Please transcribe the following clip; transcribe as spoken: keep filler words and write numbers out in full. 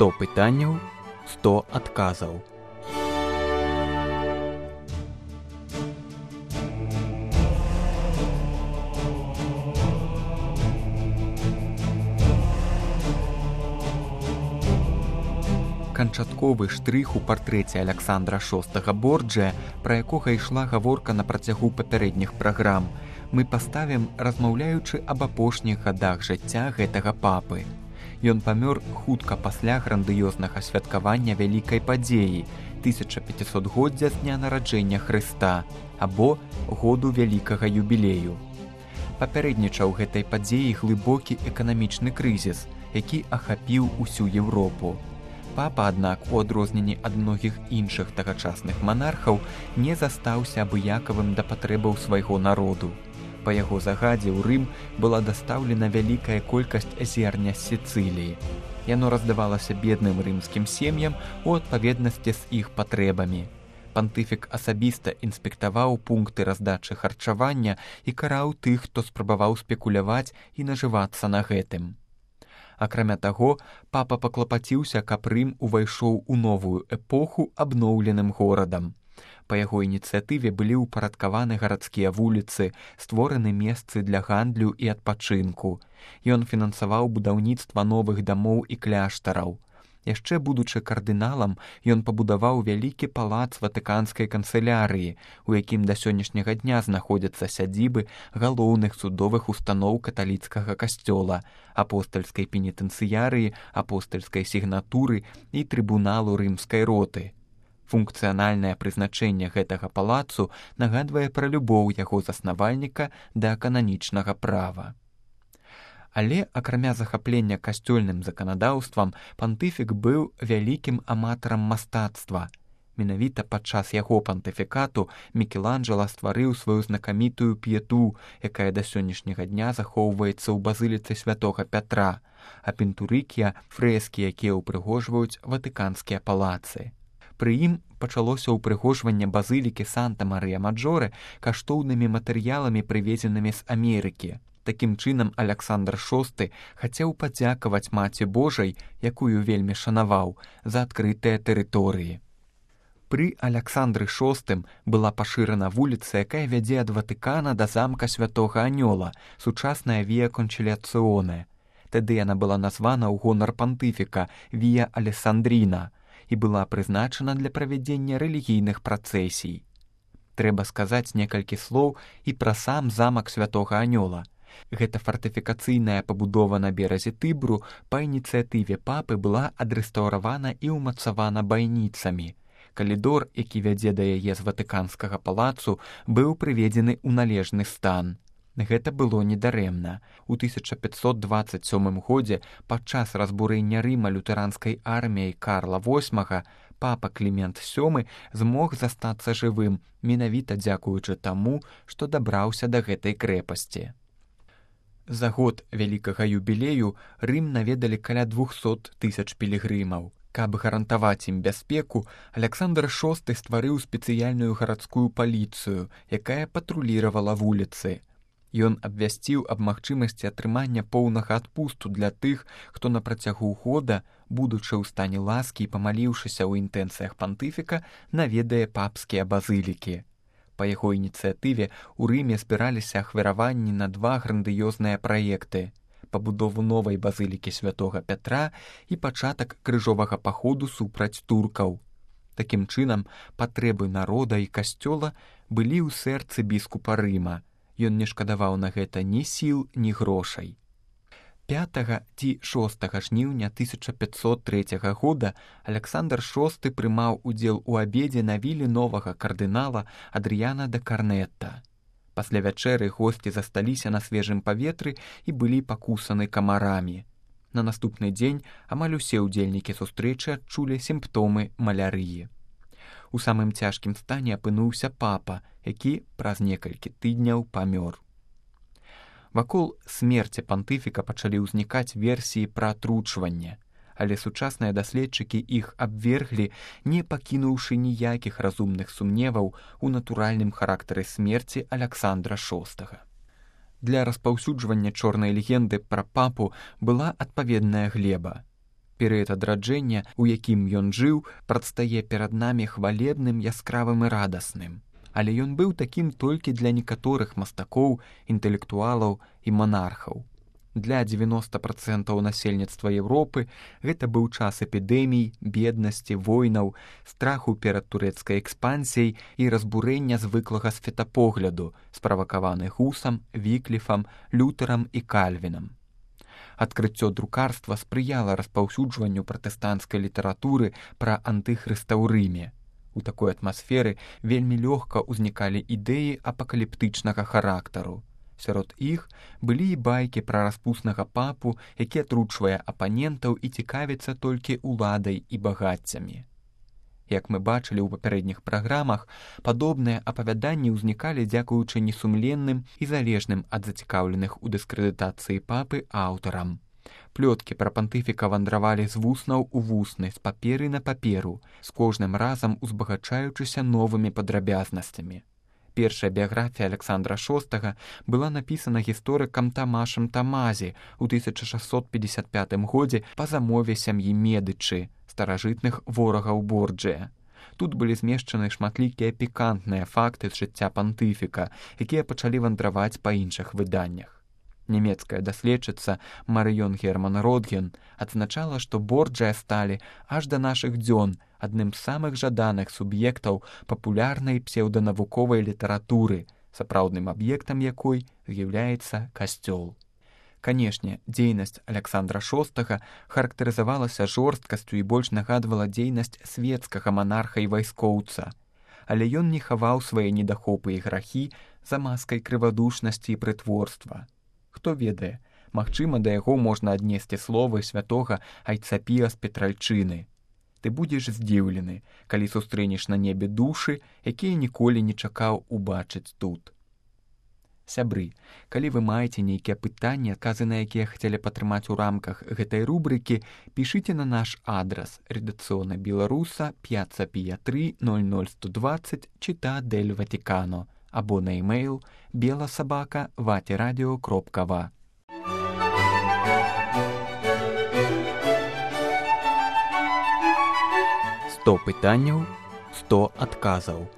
сто пытанняў, сто адказаў. Канчатковы штрых у партрэце Аляксандра шостага Борджыя, пра якога ішла гаворка на працягу папярэдніх праграм, мы паставім, размаўляючы аб апошніх гадах жыцця гэтага папы. Ён памёр хутка пасля грандыёзнага святкавання вялікай падзеі тысяча пяцісотгоддзя з дня нараджэння Хрыста або году вялікага юбілею. Папярэднічаў гэтай падзеі глыбокі эканамічны крызіс, які ахапіў усю Еўропу. Папа, аднак, у адрозненні ад многіх іншых тагачасных манархаў, не застаўся абыякавым да патрэбаў свайго народу. Па яго загадзе ў Рым была дастаўлена вялікая колькасць зерня з Сіцыліі. Яно раздавалася бедным рымскім сем'ям у адпаведнасці з іх патрэбамі. Пантыфік асабіста інспектаваў пункты раздачы харчавання і караў тых, хто спрабаваў спекуляваць і нажывацца на гэтым. Акрамя таго, папа паклапаціўся, каб Рым увайшоў у новую эпоху абноўленым горадам. Па яго ініцыятыве былі ўпарадкаваны гарадскія вуліцы, створаны месцы для гандлю і адпачынку. Ён фінансаваў будаўніцтва новых дамоў і кляштараў. Яшчэ будучы кардыналам, ён пабудаваў вялікі палац ватыканскай канцылярыі, у якім да сённяшняга дня знаходзяцца сядзібы галоўных судовых устаноў каталіцкага касцёла, апостальскай пенітэнцыярыі, апостальскай сігнатуры і трыбуналу рымскай роты. Функцыянальнае прызначэнне гэтага палацу нагадвае пра любоў яго заснавальніка да кананічнага права. Але, акрамя захаплення касцёльным заканадаўствам, пантыфік быў вялікім аматарам мастацтва. Менавіта падчас яго пантыфікату Мікеланджела стварыў сваю знакамітую п'ету, якая да сённяшняга дня захоўваецца ў базыліцы святога Пятра, а пінтурыкія – фрэскі, якія ўпрыгожваюць ватыканскія палацы. Пры ім пачалося ўпрыгожванне базылікі Санта-Марыя-Маджоре каштоўнымі матэрыяламі, прывезенымі з Амерыкі. Такім чынам, Аляксандр шосты хацеў падзякаваць Маці Божай, якую вельмі шанаваў, за адкрытыя тэрыторыі. Пры Аляксандры шостым была пашырана вуліца, якая вядзе ад Ватыкана да замка Святога Анёла, сучасная Вія Кончыляцыоне. Тады яна была названа ў гонар пантыфіка Вія Алесандріна і была прызначана для правядзення рэлігійных працэсій. Трэба сказаць некалькі слоў і пра сам замак Святога Анёла. Гэта фартыфікацыйная пабудова на беразе Тыбру па ініцыятыве папы была адрэстаўравана і ўмацавана байніцамі. Калідор, які вядзе да яе з ватыканскага палацу, быў прыведзены ў належны стан. Гэта было недарэмна. У тысяча пятьсот дваццаць сёмым годзе падчас разбурэння Рыма лютэранскай арміяй Карла восьмага папа Клімент сёмы змог застацца жывым, менавіта дзякуючы таму, што дабраўся да гэтай крэпасці. За год вялікага юбілею Рым наведалі каля двухсот тысяч пілігрымаў. Каб гарантаваць ім бяспеку, Аляксандр шосты стварыў спецыяльную гарадскую паліцыю, якая патруліравала вуліцы. Ён абвясціў аб магчымасці атрымання поўнага адпусту для тых, хто на працягу года, будучы ў стане ласкі і памаліўшыся ў інтэнцыях пантыфіка, наведае папскія базылікі. Па яго ініцыятыве ў Рыме збіраліся ахвяраванні на два грандыёзныя праекты – пабудову новай базылікі святога Пятра і пачатак крыжовага паходу супраць туркаў. Такім чынам, патрэбы народа і касцёла былі ў сэрцы біскупа Рыма. Ён не шкадаваў на гэта ні сіл, ні грошай. пятага ці шостага жніўня тысяча пятьсот трэцяга года Аляксандр шосты прымаў удзел у абедзе на віле новага кардынала Адрыяна да Карнетта. Пасля вячэры госці засталіся на свежым паветры і былі пакусаны камарамі. На наступны дзень амаль усе ўдзельнікі сустрэчы адчулі сімптомы малярыі. У самым цяжкім стане апынуўся папа, які праз некалькі тыдняў памёр. Вакол смерці пантыфіка пачалі ўзнікаць версіі пра атручванне, але сучасныя даследчыкі іх абверглі, не пакінуўшы ніякіх разумных сумневаў у натуральным характары смерці Аляксандра шостага. Для распаўсюджвання чорнай легенды пра папу была адпаведная глеба. Перыяд адраджэння, у якім ён жыў, прадстае перад намі хвалебным, яскравым і радасным. Але ён быў такім толькі для некаторых мастакоў, інтэлектуалаў і манархаў. Для дзевяноста працэнтаў насельніцтва Еўропы гэта быў час эпідэмій, беднасці, войнаў, страху перад турэцкай экспансіяй і разбурэння звыклага светапогляду, справакаваны Гусам, Вікліфам, Лютэрам і Кальвінам. Адкрыццё друкарства спрыяла распаўсюджванню пратэстанцкай літаратуры пра антыхрыста ў Рыме. У такой атмасферы вельмі лёгка ўзнікалі ідэі апакаліптычнага характару. Сярод іх былі і байкі пра распуснага папу, які атручвае апанентаў і цікавіцца толькі уладай і багаццямі. Як мы бачылі ў папярэдніх праграмах, падобныя апавяданні ўзнікалі дзякуючы несумленным і залежным ад зацікаўленых у дыскрэдытацыі папы аўтарам. Плёткі пра пантыфіка вандравалі з вуснаў у вусны, з паперы на паперу, з кожным разам узбагачаючыся новымі падрабязнасцямі. Першая біяграфія Аляксандра шостага была напісана гісторыкам Тамашам Тамазі ў тысяча шасцьсот пятьдесят пятым годзе па замове сям'і Медычы, старажытных ворагаў Борджыя. Тут былі змешчаны шматлікія пікантныя факты з жыцця пантыфіка, якія пачалі вандраваць па іншых выданнях. Нямецкая даследчыца Марыён Герман Родген адзначала, што Борджыя сталі аж да нашых дзён адным з самых жаданых суб'ектаў папулярнай псеўданавуковай літаратуры, сапраўдным аб'ектам якой з'яўляецца касцёл. Канешне, дзейнасць Аляксандра шостага характарызавалася жорсткасцю і больш нагадвала дзейнасць свецкага манарха і вайскоўца. Але ён не хаваў свае недахопы і грахі за маскай крывадушнасці і прытворства. Хто ведае, магчыма, да яго можна аднесці словы святога Айцапія з Петральчыны. Ты будзеш здзіўлены, калі сустрэнеш на небе душы, якія ніколі не чакаў убачыць тут. Сябры, калі вы маеце нейкія пытанні, адказы на якія хацелі падтрымаць у рамках гэтай рубрыкі, пішыце на наш адрас редакцыёна беларуса п'яцца пія тры ноль ноль сто двадцать Чита дель Ватикано або на e-mail беласабака ватерадио кропка ва. сто пытанняў, сто адказаў.